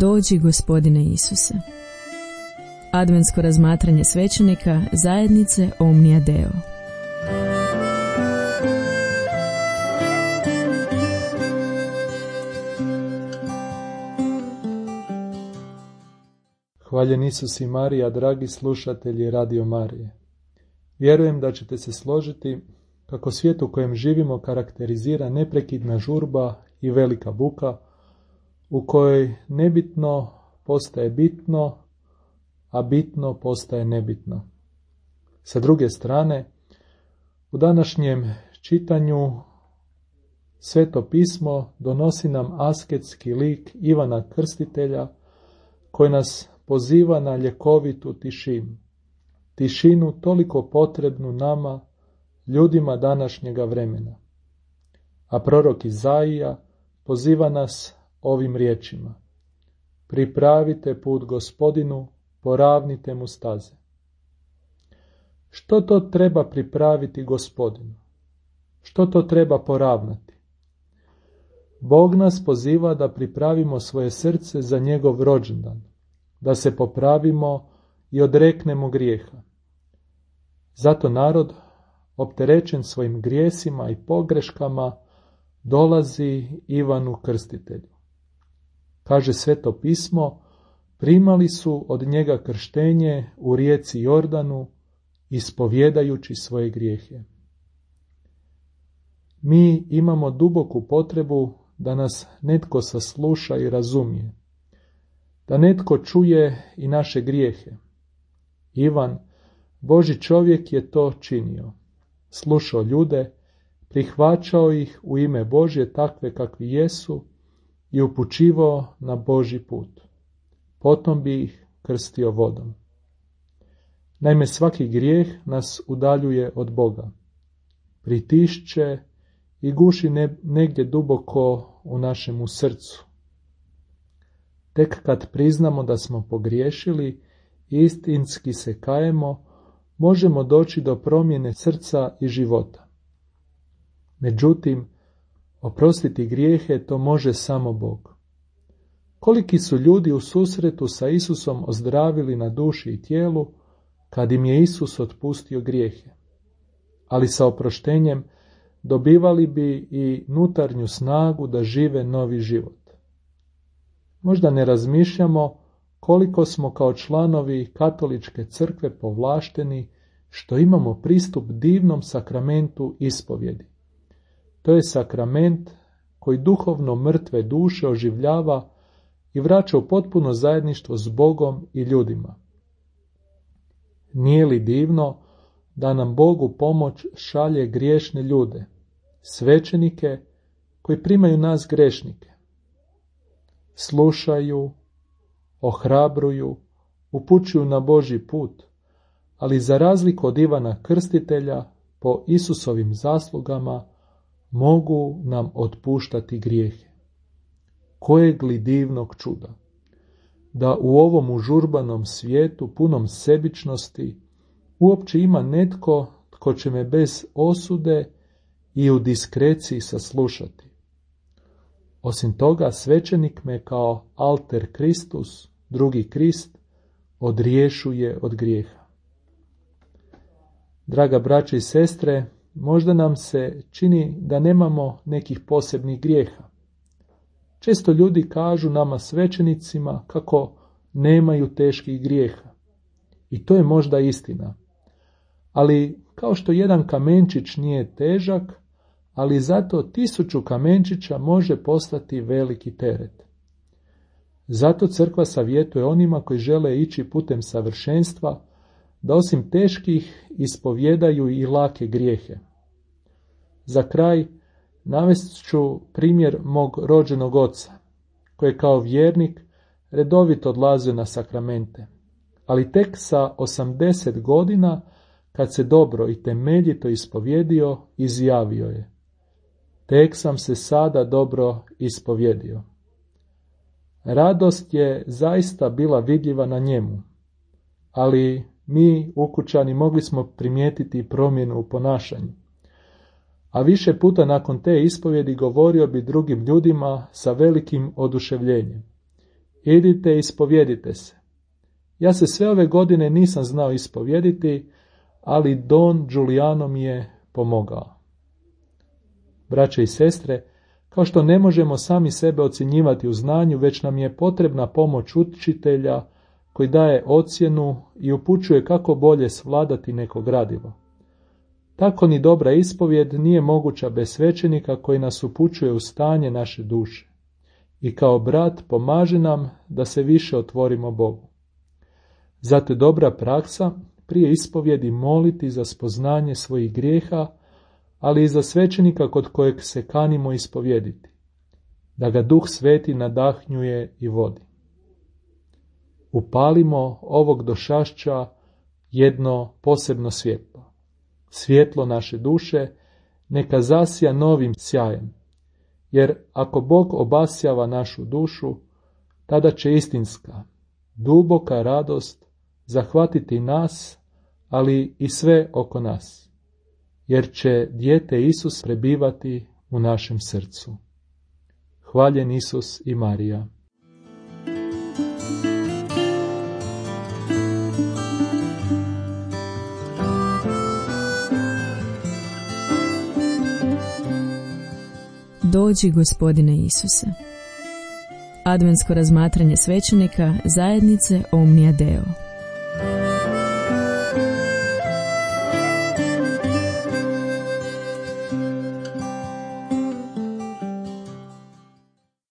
Dođi, Gospodine Isuse. Adventsko razmatranje svećenika zajednice Omnia Deo. Hvaljen Isus i Marija, dragi slušatelji Radio Marije. Vjerujem da ćete se složiti kako svijet u kojem živimo karakterizira neprekidna žurba i velika buka, u kojoj nebitno postaje bitno, a bitno postaje nebitno. Sa druge strane, u današnjem čitanju Sveto pismo donosi nam asketski lik Ivana Krstitelja, koji nas poziva na ljekovitu tišinu. Tišinu toliko potrebnu nama, ljudima današnjega vremena. A prorok Izaija poziva nas ovim riječima: pripravite put Gospodinu, poravnite mu staze. Što to treba pripraviti Gospodinu? Što to treba poravnati? Bog nas poziva da pripravimo svoje srce za njegov rođendan, da se popravimo i odreknemo grijeha. Zato narod, opterećen svojim grijesima i pogreškama, dolazi Ivanu Krstitelju. Kaže Sveto pismo, primali su od njega krštenje u rijeci Jordanu, ispovjedajući svoje grijehe. Mi imamo duboku potrebu da nas netko sasluša i razumije, da netko čuje i naše grijehe. Ivan, Božji čovjek, je to činio. Slušao ljude, prihvaćao ih u ime Božje takve kakvi jesu i upućivao na Božji put. Potom bi ih krstio vodom. Naime, svaki grijeh nas udaljuje od Boga. Pritišće i guši negdje duboko u našemu srcu. Tek kad priznamo da smo pogriješili i istinski se kajemo, možemo doći do promjene srca i života. Međutim, oprostiti grijehe to može samo Bog. Koliki su ljudi u susretu sa Isusom ozdravili na duši i tijelu kad im je Isus otpustio grijehe, ali sa oproštenjem dobivali bi i unutarnju snagu da žive novi život. Možda ne razmišljamo koliko smo kao članovi katoličke crkve povlašteni što imamo pristup divnom sakramentu ispovjedi. To je sakrament koji duhovno mrtve duše oživljava i vraća u potpuno zajedništvo s Bogom i ljudima. Nije li divno da nam Bog u pomoć šalje griješne ljude, svećenike koji primaju nas grešnike? Slušaju, ohrabruju, upućuju na Božji put, ali za razliku od Ivana Krstitelja, po Isusovim zaslugama, mogu nam otpuštati grijehe. Kojeg li divnog čuda! Da u ovom užurbanom svijetu, punom sebičnosti, uopće ima netko tko će me bez osude i u diskreciji saslušati. Osim toga, svećenik me kao alter Kristus, drugi Krist, odriješuje od grijeha. Draga braće i sestre, možda nam se čini da nemamo nekih posebnih grijeha. Često ljudi kažu nama svećenicima kako nemaju teških grijeha. I to je možda istina. Ali kao što jedan kamenčić nije težak, ali zato 1000 kamenčića može postati veliki teret. Zato crkva savjetuje onima koji žele ići putem savršenstva da osim teških ispovjedaju i lake grijehe. Za kraj navest ću primjer mog rođenog oca, koji je kao vjernik redovito odlazio na sakramente, ali tek sa 80 godina, kad se dobro i temeljito ispovjedio, izjavio je: tek sam se sada dobro ispovjedio. Radost je zaista bila vidljiva na njemu, ali mi, ukućani, mogli smo primijetiti promjenu u ponašanju. A više puta nakon te ispovjedi govorio bi drugim ljudima sa velikim oduševljenjem: idite i ispovjedite se. Ja se sve ove godine nisam znao ispovjediti, ali Don Giuliano mi je pomogao. Braće i sestre, kao što ne možemo sami sebe ocjenjivati u znanju, već nam je potrebna pomoć učitelja koji daje ocjenu i upućuje kako bolje svladati neko gradivo. Tako ni dobra ispovjed nije moguća bez svećenika koji nas upućuje u stanje naše duše i kao brat pomaže nam da se više otvorimo Bogu. Zato je dobra praksa prije ispovjedi moliti za spoznanje svojih grijeha, ali i za svećenika kod kojeg se kanimo ispovjediti, da ga Duh Sveti nadahnjuje i vodi. Upalimo ovog došašća jedno posebno svjetlo. Svjetlo naše duše neka zasija novim sjajem, jer ako Bog obasjava našu dušu, tada će istinska, duboka radost zahvatiti nas, ali i sve oko nas, jer će dijete Isus prebivati u našem srcu. Hvaljen Isus i Marija. Dođi, Gospodine Isuse. Adventsko razmatranje svećenika zajednice Omnia Deo.